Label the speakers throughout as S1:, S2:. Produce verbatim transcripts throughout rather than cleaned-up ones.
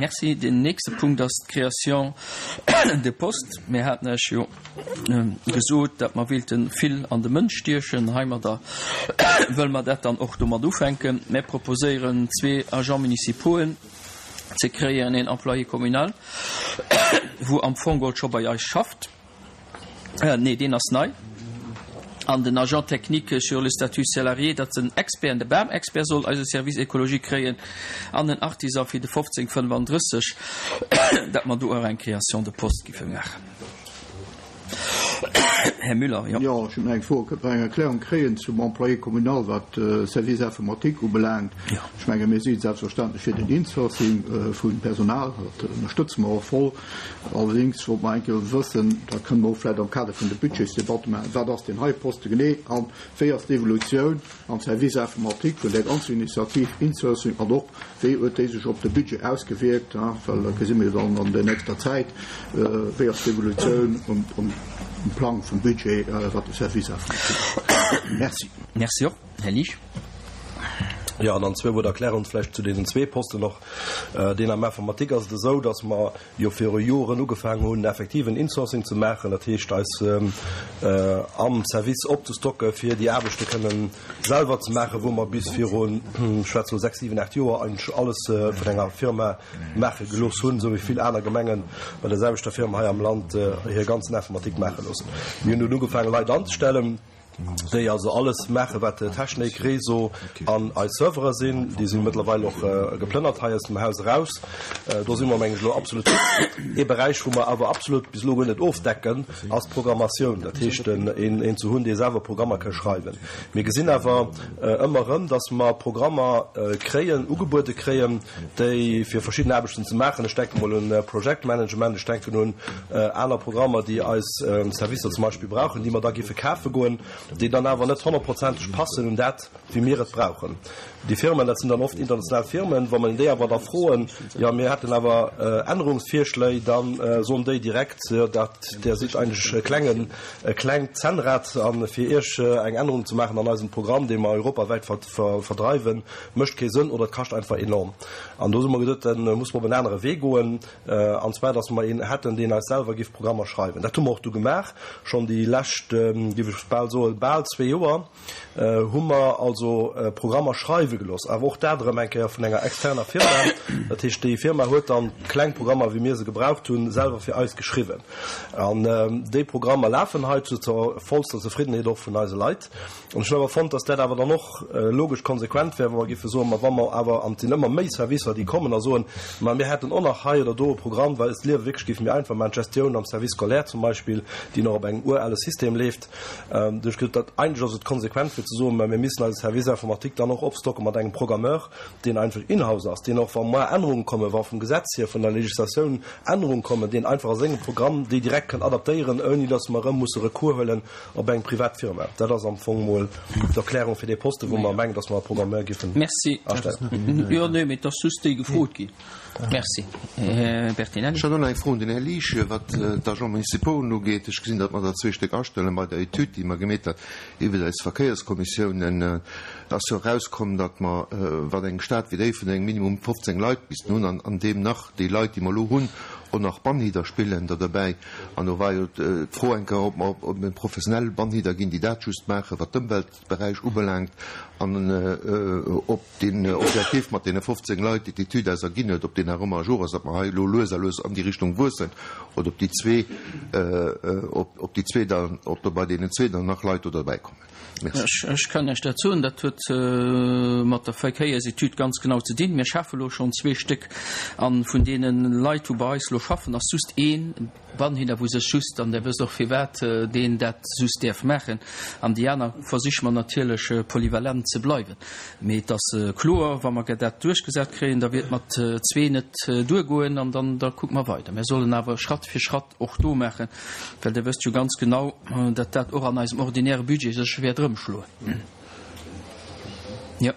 S1: Merci. Den nächste Punkt ass d'Création de postes. Mir haten Iech jo gesot, datt mer wéilte vill an de Mënsch stiechen. Heimadder wëlle mer dat dann och domat ufänken. Mir proposéieren zwee Agents municipauxen ze kréien, een Employé communal, wou am Fong geholl scho bei eis schafft, nee, deen ass nei, an den Agent technique sur le statut salarié, datt en Expert, de Bamexpert soll eise Service écologique kréien, an en Artisan fir de fofzéng fënnefandrësseg, datt mer do och eng Création de poste giffe maachen. Här Müller, jo.
S2: Jo, ech hunn nach eng Fro. Kënnt mer eng Erklärung kréien zum Employé communal, wat de Service informatique ubelaangt? Ech menge mir si selbstverständlech fir den Insourcing vu Personal, dat ënnerstëtze mer och voll. Allerdéngs wollt mer eng Kéier wëssen, dat kënne mer och vläicht am Kader vun de Budgetsdebatte maachen, wat ass deen hei Poste genee a wéi ass d'Evolutioun am Service informatique vun där ganzer Initiativ Insourcing an och wéi huet déi sech op de Budget ausgewierkt, well dat gesi mir jo dann an der nächster Zäit, wéi ass d'Evolutioun um Plang vum Budget, wat de Service informatique ugeet. Merci.
S1: Merci och. Här Liesch.
S3: Jo, an dann zwee Wuert Erklärung vläicht zu deenen zwee Posten och. Deen am Informatique ass et esou, dass mer jo viru Joren ugefaangen hunn, effektiv en Insourcing ze maachen, dat heescht eis am Service opzestocke fir déi Aarbechte kënnen selwer ze maachen, wou mer bis virun, ech schwätze lo sechs, siwen, aacht Joer eigentlech alles vun enger Firma maache gelooss hunn, esou wéi vill aner Gemenge bei der selwechter Firma hei am Land hir ganzen Informatik maache loossen. Mir hunn dunn ugefaangen, Leit anzestellen. déi also alles maachen, wat Technik, Réseau an eis Servere sinn. Déi si mëttlerweil och geplënnert hei aus dem Haus eraus. Do si mer, meng ech, elo absolut fit. Ee Beräich, wou mer awer absolut bis elo guer net ofdecken, ass d'Programmatioun, dat heescht, een ze hunn, dee selwer Programmer ka schreiwen. Mir gesinn awer ëmmer erëm, dass mer Programmer kréien, ugebuede kréien, déi fir verschidden Aarbechten ze maachen, ech denke mol un Projektmanagement, ech denken un aner Programmer, déi eis Servicer zum Beispill brauchen, déi mer da géife kafe goen, déi dann awer net honnertprozenteg passen un dat, wéi mir et brauchen. Déi Firmen, dat sinn dann oft international Firmen, wa mer déi awer da froen, jo mir hätten awer Ännerungsvirschléi, da soen déi direkt, jo dat, där sidd eigentlech e klengen, e klengt Zännrad a fir Iech eng Ännerung ze maachen an eisem Programm, dee mer europawäit verdreiwen, mécht kee Sënn oder et kascht einfach enorm. An do hu mer gesot, da muss mer op en anere Wee goen, an zwar datt mer een hätten, deen eis selwer géif Programmer schreiwen. Dat hu mer och du gemaach, schonn déi lescht, géif ech bal soen, bal zwee Joer hu mer also Programmer schreiwe gelooss, awer och dat erëm eng Kéier vun enger externer Firma. Dat heescht, déi Firma huet dann kleng Programmer, wéi mir se gebraucht hunn, selwer fir eis geschriwwen. An déi Programmer lafen hei zur vollster Zefriddenheet och vun eise Leit. An ech hunn awer fonnt, dass dat awer dann och logesch konsequent wär, wa mer géife soen, ma wa mer awer, an et sinn ëmmer méi Servicer, déi kommen a soen, ma mir hätten och nach hei oder do e Programm, well et d'Liewe wierklech géif méi einfach maachen, d'Gestioun am Service scolaire zum Beispill, déi nach op engem urale System leeft. Duerch gëtt dat, eigentlech ass et konsequent fir ze soen, ma mir missen eise Service informatique dann och opstocke mat engem Programmeur, deen einfach in-house ass, deen och, wa mar Ännerunge kommen, wa vum Gesetz hier, vun der Législatioun Ännerunge kommen, deen einfach a sengem Programm déi direkt kann adaptéieren, ouni dass mer erëm musse Recours huelen op eng privat Firma. Dat ass am Fong mol d'Erklärung fir dee Posten, wou mer mengen, dass mer e Programmeur giffen
S1: Merci.
S3: astellen.
S1: Jo, nee, mee et ass just déi gefrot ginn. Merci. Här Bertinelli.
S4: Ech hat och nach eng Fro un den Här Liesch, wat d'Agents municipauxen ugeet. Ech gesinn, datt mer der zwee Stéck astellen. Bei der Etüd, déi mer gemeet hat iwwert eis Verkéierskommissiounen, ass jo erauskomm, datt mer, wat eng Stad wéi Déifferdeng minimum fofzéng Leit missten hunn, an an deem nach déi Leit, déi mer elo hunn, och nach Bannhider spillen der derbäi. An do war jo d'Fro eng Kéier, ob mer op professionell Bannhider ginn, déi dat just maachen, wat d'Ëmweltberäich ubelaangt, an ob deen Objektiv mat deene fofzéng Leit, déi d'Etüd eis erginn huet, ob deen nach ëmmer à jour ass, datt mer hei elo lues a lues an déi Richtung wuessen, oder ob déi zwee, ob déi zwee dann, ob do bei deenen zwee dann nach Leit do derbäikommen.
S1: Merci. Ech kann Iech dat soen, dat huet mat der Verkéiersetüd ganz genau ze dinn. Mir schafe elo schonn zwee Stéck a vun deene Leit, wou bei eis elo schaffen, ass just ee Bannhider, wou sech just, an Der wësst och firwat, deen dat just däerf maachen. An déi aner versiche mer natierlech polyvalent ze bleiwen. Mee et ass kloer, wa mer dat duerchgesat kréien, da wier et mat zwee net duergoen an dann da kucke mer weider. Mir sollen awer Schratt fir Schratt och do maachen, well Der wësst jo ganz genau, datt dat och an eisem ordinäre Budget sech wäert erëmschloen. Jo.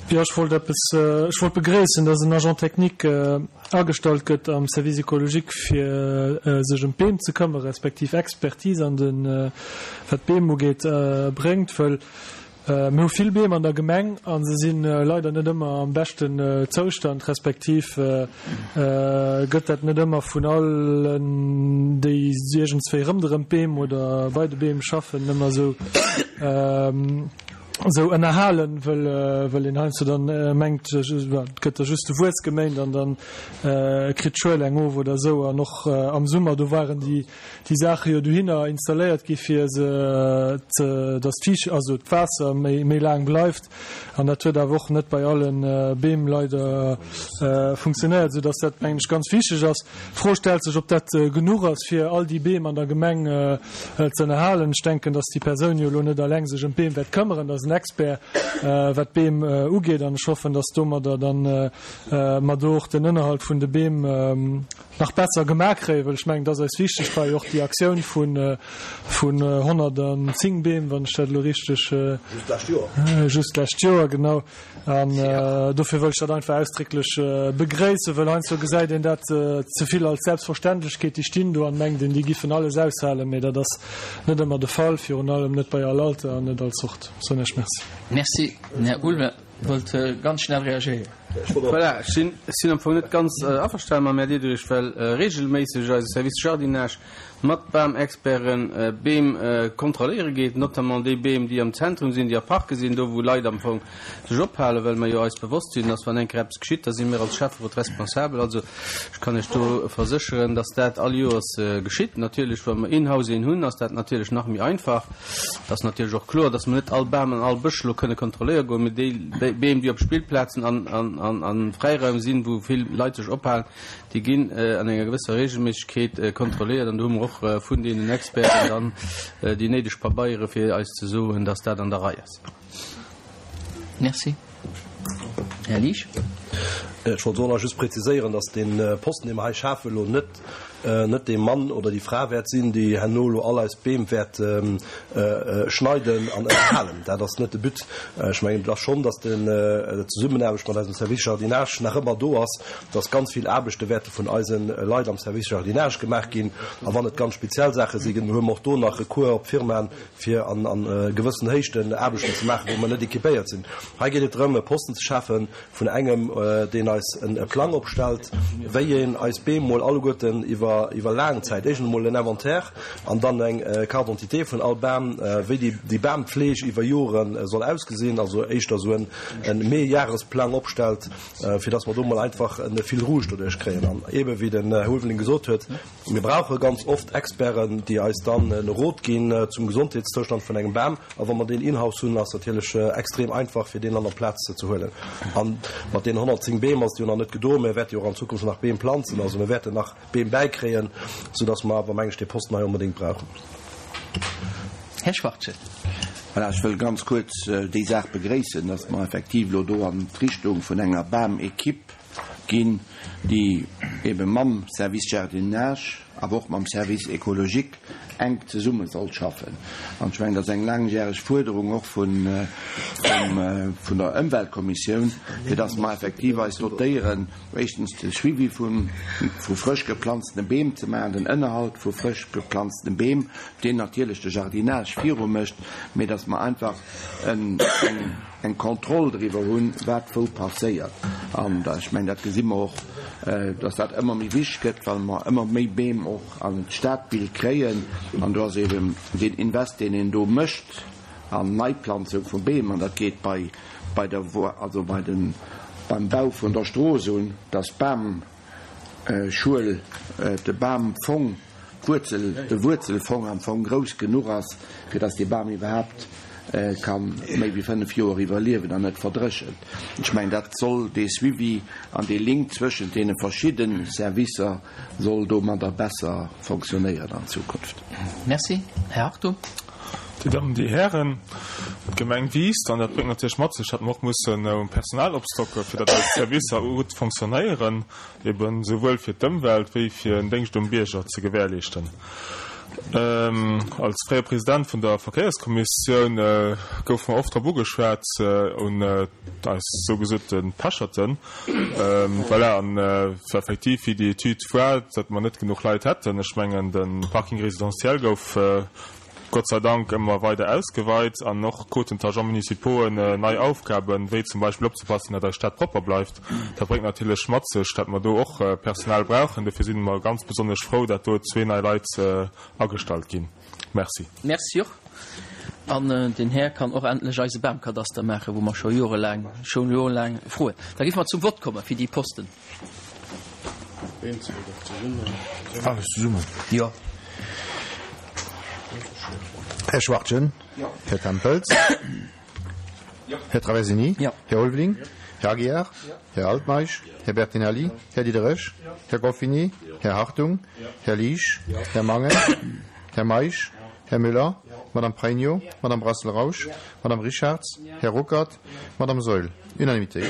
S5: Jo, ech wollt eppes, ech wollt begréissen, datt en Agent technique agestallt gëtt am Service écologique, fir sech ëm d'Beem ze këmmere respektiv Expertise an de, wat d'Beem ugeet, bréngt, wëll Mir hu vill Beem an der Gemeng a se si leider net ëmmer am beschten Zoustand, respektiv gëtt dat net ëmmer vun allen, déi iergendswéi rëmderëm d'Beem oder bei de Beem schaffen, ëmmer esou esou ënnerhalen, wëll wëll een heiansdo dann mengt, et gëtt da just de Wuess geméint an dann kritt d'Schuel eng of oder esou. An och am Summer, do waren déi déi Saache jo dohinner installéiert gi fir se ze, datt d'Fiicht, also d'Waasser méi méi laang bleift. An dat huet awer och net bei alle Beem leider funktionéiert, soudatt dat, mengen ech, ganz wichteg ass. D'Fro stellt sech, ob dat genuch ass, fir all déi Beem an der Gemeng ze ënnerhalen. Ech denken, datt déi Persoun jo elo net eleng sech ëm d'Beem wäert këmmeren, dat ass en Expert, wat d'Beem ugeet. An ech hoffen, datt domadder dann mer do och den Ënnerhalt vun de Beem nach besser gemaach kréien, well ech mengen, et ass eis wichteg bei och déi Aktioun vun vun honnertanzéng Beem, wann ech dat elo richteg.
S3: Just d'lescht Joer.
S5: Just d'lescht Joer, genau. An dofir wëll ech dat einfach ausdrécklech begréissen, well heiansdo gesäit een dat ze vill als Selbstverständlechkeet, déi stinn do an mengt een, déi giffen alles aushalen, mee dat ass net ëmmer de Fall, virun allem net bei all Alter an net all Zort. Soen ech Merci.
S1: Merci. Den Här Ulme wollt ganz schnell reagéieren.
S6: Voilà, ech sinn, ech sinn am Fong net ganz averstane mam Här Diderich, well regelméisseg eise Service Jardinage mat Bamexperten Beem kontrolléiere geet, notamment déi Beem, déi am Zentrum sinn, déi a Parke sinn, do wou Leit am Fong sech ophalen, well mer jo eis bewosst sinn, dass wann eng Kéier eppes geschitt, da si mir als Schäfferot responsabel. Also ech kann Iech do versécheren, dass dat all Joers geschitt. Natierlech, wa mer in-house een hunn, ass dat natierlech nach méi einfach. Et ass natierlech och kloer, dass mer net all Bam an all Bësch elo kënne kontrolléiere goen, mee déi Beem, déi op Spillplazen an a Fräiraim sinn, wou vill Leit sech ophalen, déi ginn an enger gewësser Regelméissegkeet kontrolléiert. An do hu mer och vun deenen Experten dann déi néideg Pabeiere fir eis ze soen, dass dat an der Rei ass.
S1: Merci. Här Liesch.
S3: Ech wollt och nach just präziséieren, dass dee Posten, dee mer hei schafen, elo net net dee Mann oder déi Fra wäert sinn, déi herno elo all eis Beem wäert schneiden an ënnerhalen. Dat ass net de But. Ech mengen, et ass schonn, dass d'Zesummenaarbecht mat eisem Service Jardinage nach ëmmer do ass, dass ganz vill Aarbechte wäerte vun eise Leit am Service Jardinage gemaach ginn. A wann et ganz speziell Saache sinn, hu mer och do nach Recours op Firmaen, fir an gewëssen Héichten Aarbechten ze maachen, wou mer net équipéiert sinn. Hei geet et drëm, e Posten ze schafen vun engem, deen eis e Plang opstellt, wéi een eis Beem mol alleguerten iwwer iwwer laang Zäit, éischtens emol en Inventaire an dann eng Carte d'identité vun all Bam, wéi déi déi Bampfleeg iwwer Jore soll ausgesinn, also éischter esou en e Mehrjahresplang opstellt, fir dass mer do mol einfach e Fil rouge doduerch kréien. An eebe wéi den Här Ulveling gesot huet, mir brauche ganz oft Experten, déi eis dann e Rot ginn zum Gesondheetszoustand vun engem Bam. A wa mer deen in-house hunn, ass natierlech extrem einfach, fir deen an der Plaz ze huelen. A mat deenen honnertzéng Beem ass et jo nach net gedoen. Mir wäerte jo och an Zukunft nach Beem planzen. Also mir wäerten nach Beem bäikréien, soudass mer awer, meng ech, dee Posten hei onbedéngt brauchen.
S1: Här Schwachtgen.
S7: Voilà, ech wëll ganz kuerz déi Saach begréissen, dass mer effektiv elo do an d'Richtung vun enger Bamequipe ginn, déi ebe mam Service Jardinage, awer och mam Service écologique enk zesumme soll schaffen. An ech mengen, dat ass eng laangjäreg Fuerderung och vun der Ëmweltkommissioun, fir dass mer effektiv eis dotéieren, éischtens de Suivi vu frësch geplanztene Beem ze maachen, den Ënnerhalt vu frësch geplanztene Beem, deen natierlech de Jardinage viru mécht, mee dass mer einfach eng eng Kontroll driwwer hunn, wat wou passéiert. An ech mengen, dat gesi mer och, dass dat ëmmer méi wichteg gëtt, well mer ëmmer méi Beem och an d'Stadbild kréien. An do ass eeben deen Invest, deen een do mécht an Neiplanzung vu Beem, an dat geet bei, bei der, also bei den, beim Bau vun der Strooss un, dass d'Bamschuel, de Bamfong, d'Wuerzel, de Wuerzelfong am Fong grouss genuch ass, fir dass dee Bam iwwerhaapt ka méi wéi fënnef Joer iwwerliewen an net verdréchent. Ech mengen, dat soll dee Suivi an dee Link zwëschent deene verschidde Servicer soll domadder besser fonctionnéieren an Zukunft.
S1: Merci. Här Hartung.
S8: Dir Dammen, Dir Hären, d'Gemeng wiisst an dat bréngt natierlech mat sech, datt mer och mussen um Personal opstocken, fir datt eis Servicer gutt fonctionnéieren, eben souwuel fir d'Ëmwelt wéi fir en Déngscht um Bierger ze gewährleeschten. Als fréiere President vun der Verkéierskommissioun gouf mer oft drop ugeschwat, un eis sougesote Pecherten, voilà, an effektiv, wéi déi Etüd war, datt mer net genuch Leit hätten. Ech mengen, de Parking résidentiel gouf Gott sei Dank ëmmer weider ausgeweit an och kruten d'Agents municipauxen nei Aufgaben, wéi zum Beispill opzepassen, datt eis Stad propper bleift. Dat bréngt natierlech mat sech, datt mer do och Personal brauchen. Dofir si mer ganz besonnesch frou, datt do zwee nei Leit agestallt ginn. Merci.
S1: Merci och. An den Här kann och endlech eise Bamkadaster maachen, wou mer scho jorelaang, scho jorelaang froen. Da géife mer zum Vott komme fir déi Posten.
S9: Alles zesummen?
S1: Jo.
S9: Här Schwachtgen?
S1: Jo.
S9: Här Tempels?
S1: Jo.
S9: Här Traversini?
S1: Jo.
S9: Här Ulveling?
S1: Jo.
S9: Här Aguiar?
S1: Jo.
S9: Här Altmeisch?
S1: Jo.
S9: Här Bertinelli?
S1: Jo.
S9: Här Diderich?
S1: Jo.
S9: Här Goffini?
S1: Jo.
S9: Här Hartung?
S1: Jo.
S9: Här Liesch?
S1: Jo.
S9: Här Mangen? Här Meisch?
S1: Jo.
S9: Här Müller?
S1: Jo.
S9: Madame Pregno?
S1: Jo.
S9: Madame Brassel-Rausch?
S1: Jo.
S9: Madame Richarz?
S1: Jo.
S9: Här Ruckert?
S1: Jo.
S9: Madame Saeul? Unanimité.